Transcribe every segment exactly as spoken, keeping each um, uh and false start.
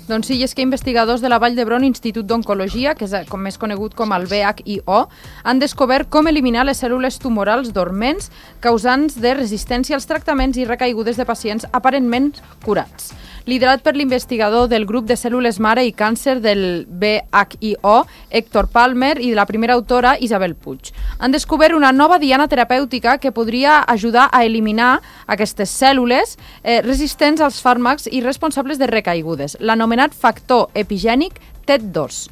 Doncs sí, és que investigadors de la Vall d'Hebron Institut d'Oncologia, que és com més conegut com el V H I O, han descobert com eliminar les cèl·lules tumorals dorments causants de resistència als tractaments i recaigudes de pacients aparentment curats. Liderat per l'investigador del grup de cèl·lules mare i càncer del V H I O, Héctor Palmer, i de la primera autora, Isabel Puig. Han descobert una nova diana terapèutica que podria ajudar a eliminar aquestes cèl·lules eh, resistents als fàrmacs i responsables de recaigudes, l'anomenat factor epigènic T E D dos.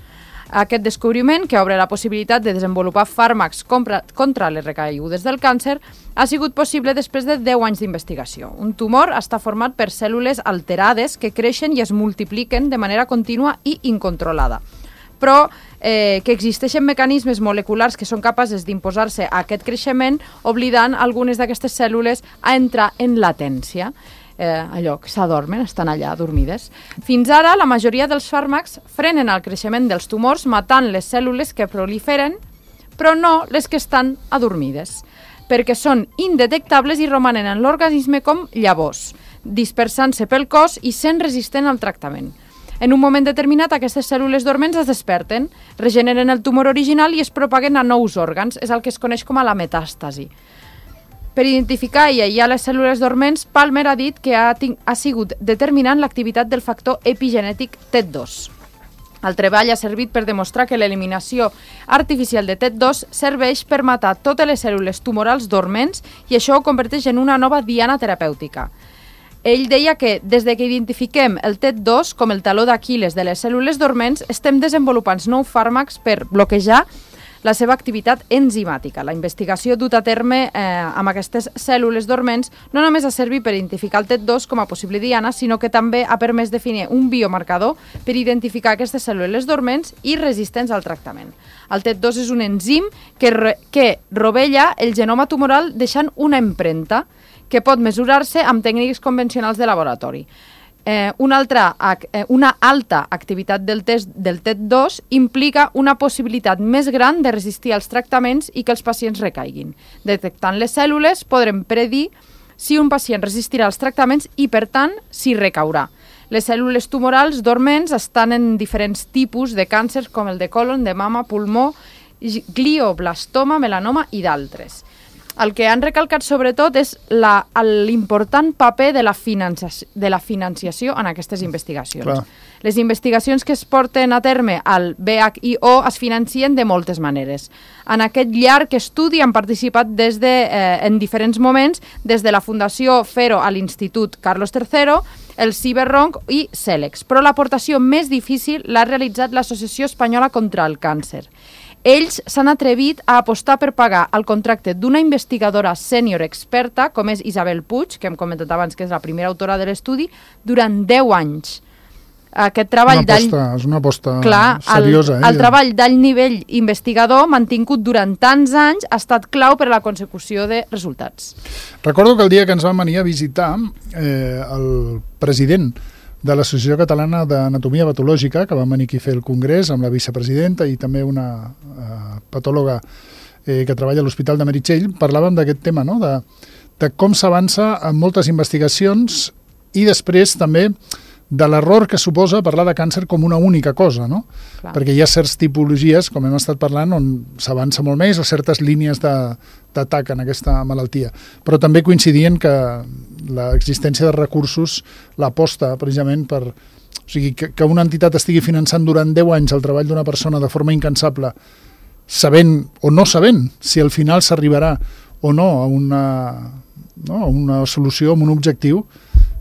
Aquest descobriment, que obre la possibilitat de desenvolupar fàrmacs contra les recaigudes del càncer, ha sigut possible després de deu anys d'investigació. Un tumor està format per cèl·lules alterades que creixen i es multipliquen de manera contínua i incontrolada. Però eh, que existeixen mecanismes moleculars que són capaces d'imposar-se a aquest creixement, oblidant algunes d'aquestes cèl·lules a entrar en latència. Eh, allò que s'adormen, estan allà dormides. Fins ara, la majoria dels fàrmacs frenen el creixement dels tumors matant les cèl·lules que proliferen, però no les que estan adormides, perquè són indetectables i romanen en l'organisme com llavors, dispersant-se pel cos i sent resistent al tractament. En un moment determinat, aquestes cèl·lules dorments es desperten, regeneren el tumor original i es propaguen a nous òrgans. És el que es coneix com a la metàstasi. Per identificar i aïllar les cèl·lules dorments, Palmer ha dit que ha, ha sigut determinant l'activitat del factor epigenètic T E D dos. El treball ha servit per demostrar que l'eliminació artificial de T E D dos serveix per matar totes les cèl·lules tumorals dorments i això ho converteix en una nova diana terapèutica. Ell deia que des de que identifiquem el T E D dos com el taló d'Aquil·les de les cèl·lules dorments, estem desenvolupant nous fàrmacs per bloquejar la seva activitat enzimàtica. La investigació duta a terme eh, amb aquestes cèl·lules dorments no només ha servit per identificar el T E D dos com a possible diana, sinó que també ha permès definir un biomarcador per identificar aquestes cèl·lules dorments i resistents al tractament. El T E D dos és un enzim que, re, que rovella el genoma tumoral deixant una empremta que pot mesurar-se amb tècniques convencionals de laboratori. Eh, una, altra, eh, una alta activitat del test del T E D dos implica una possibilitat més gran de resistir als tractaments i que els pacients recaiguin. Detectant les cèl·lules podrem predir si un pacient resistirà als tractaments i, per tant, si recaurà. Les cèl·lules tumorals dorments estan en diferents tipus de càncers com el de colon, de mama, pulmó, glioblastoma, melanoma i d'altres. El que han recalcat sobretot és l'important paper de la, de la financiació en aquestes investigacions. Clar. Les investigacions que es porten a terme al V H I O es financien de moltes maneres. En aquest llarg estudi han participat des de, eh, en diferents moments des de la Fundació Fero a l'Institut Carlos tercero, el Ciberronc i Celex, però l'aportació més difícil l'ha realitzat l'Associació Espanyola contra el Càncer. Ells s'han atrevit a apostar per pagar el contracte d'una investigadora sènior experta, com és Isabel Puig, que hem comentat abans que és la primera autora de l'estudi, durant deu anys. Aquest treball una aposta, és una aposta clar, seriosa. El, eh? el treball d'alt nivell investigador mantingut durant tants anys ha estat clau per a la consecució de resultats. Recordo que el dia que ens van venir a visitar eh, el president de l'Associació Catalana d'Anatomia Patològica, que van venir aquí a fer el congrés amb la vicepresidenta i també una uh, patòloga eh, que treballa a l'Hospital de Meritxell, parlàvem d'aquest tema, no? de, de com s'avança en moltes investigacions i després també de l'error que suposa parlar de càncer com una única cosa, no? Clar. Perquè hi ha certes tipologies, com hem estat parlant, on s'avança molt més o certes línies d'atac en aquesta malaltia. Però també coincidien que l'existència de recursos, l'aposta precisament per... O sigui, que, que una entitat estigui finançant durant deu anys el treball d'una persona de forma incansable, sabent o no sabent si al final s'arribarà o no a una, no, a una solució, a un objectiu,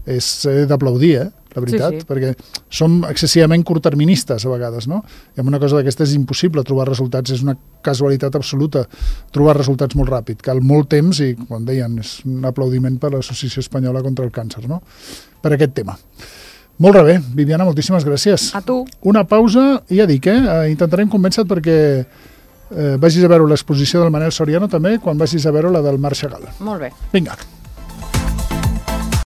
és d'aplaudir, eh? La veritat, sí, sí. Perquè som excessivament curtterministes a vegades, no? I amb una cosa d'aquesta és impossible trobar resultats, és una casualitat absoluta trobar resultats molt ràpid, cal molt temps i, com deien, és un aplaudiment per l'Associació Espanyola contra el Càncer, no? Per aquest tema. Molt bé, Viviana, moltíssimes gràcies. A tu. Una pausa, i ja dic, eh? Intentarem convèncer perquè eh, vagis a veure l'exposició del Manel Soriano també, quan vagis a veure la del Marc Chagall. Molt bé. Vinga.